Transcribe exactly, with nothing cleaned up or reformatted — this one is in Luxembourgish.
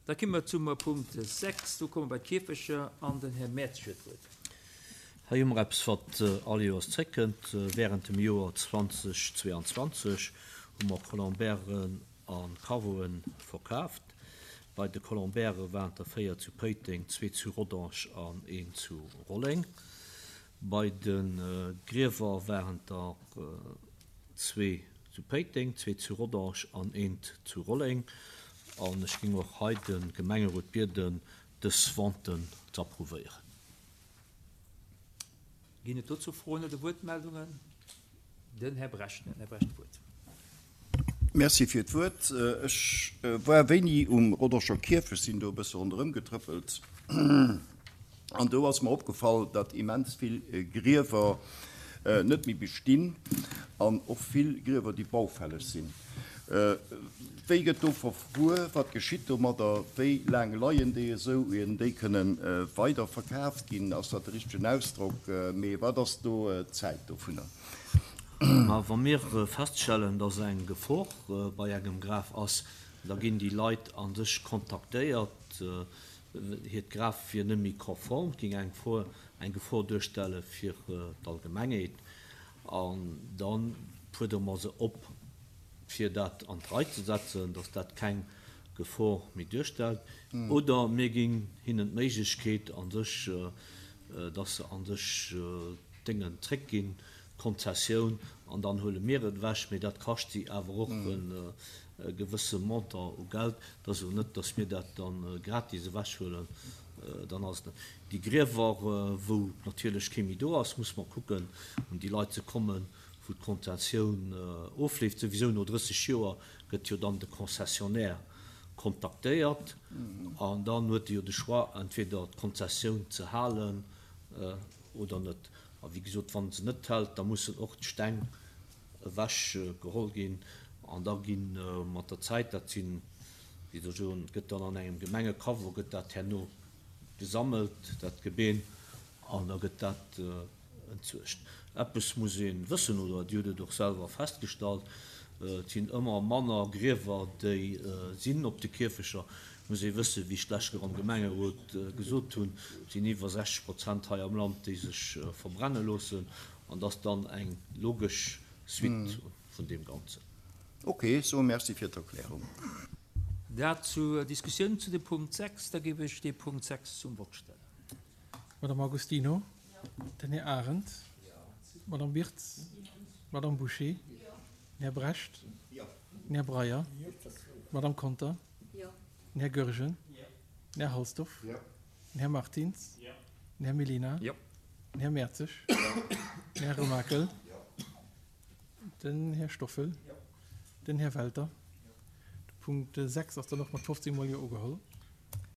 Da komme mer zum Punkt sechs. Do komme mer bei d'Kierfecher an den Här Mertz huet d'Wuert. Hei hu mer eppes, wat all Joers zréckkënnt. Während dem Joer zweitausendzweiundzwanzeg hu mer Colombairen a Caveauen verkaaft. Bei de Colombaire waren der véier zu Péiteng, zwee zu Rodange an een zu Rolleng. Bei de Griewer waren der zwee zu Péiteng, zwee zu Rodange an eent zu Rolleng. An ech géing och hei de Gemengerot bieden, dës Venten ze approuvéieren. Ginn et dozou Froen oder Wuertmeldungen? Den Här Brecht, den Här Brecht d'Wuert. Merci fir d'Wuert. Ech war wéini um Rodangeer Kierfecht, sinn do e bësse ronderëm getrëppelt an do ass mer opgefall, datt immens vill Griewer net méi bestinn an och vill Griewer, déi baufälleg sinn. Wéi gëtt do verfuer? Wat geschitt domadder? Wéi laang leien déi esou, ier déi kënne weider verkaaft ginn? Ass dat de richtegen Ausdrock? Mee wat ass do d'Zäit dovunner? Ma wa mir feststellen, dass eng Gefor bei engem Graf ass, da ginn déi Leit a sech kontaktéiert. Hiert Graf wier net méi konform, géing eng Gefor, eng Gefor duerstelle fir d'Allgemengheet. An da fuerdere mer se op, fir dat an d'Rei ze setzen, dass dat keng Gefor méi duerstellt. Oder mir ginn hinnen d'Méiglechkeet a sech, dass se a sech d'Déngen zréckginn, d'Konzessioun, an dann huele mir et ewech. Mee dat kascht si awer och e gewësse Montant u Geld. Dat ass elo net, dass mir dat da gratis ewechhuelen. Dann ass et déi Griewer, wou natierlech kee méi do ass, muss mer kucken, un déi Leit ze kommen, wou d'Konzessioun ofleeft. Souwisou no drësseg Joer gëtt jo dann de Concessionnaire kontaktéiert an dann huet e jo de Choix, entweder d'Konzessioun ze halen oder net. A wéi gesot, wann en se net hält, da mussen och d'Steng ewech geholl ginn an da gi mat der Zäit, dat sinn, wéi soll ech soen, gëtt dann an engem Gemengecaveau gëtt dat herno gesammelt, dat Gebeen, an da gëtt dat entsuergt. Eppes muss ee wëssen, oder Dir hutt et och selwer festgestallt, et sinn ëmmer manner Griewer, déi sinn op de Kierfecher. Et muss ee wëssen, wéi ech d'lescht Kéier am Gemengerot gesot hunn, et sinn iwwer sechzeg Prozent hei am Land, déi sech verbrenne loossen, an dat ass dann eng logesch Suite vun deem Ganzen. Ok, soe Merci fir d'Erklärung. Dat zur Diskussioun zu dem Punkt sechs. Da géif ech dee Punkt sechs zum Vott stellen. Madame Agostino, den Här Arendt, d'Madame Birtz, d'Madame Bouché, den Här Brecht, den Här Breyer, d'Madame Conter, den Här Goergen, den Här Halsdorf, den Här Martins, den Här Mellina, den Här Mertzig, den Här Remakel, den Här Stoffel, den Här Welter. De Punkt sechs ass dann och mat fofzéng mol Jo ugeholl.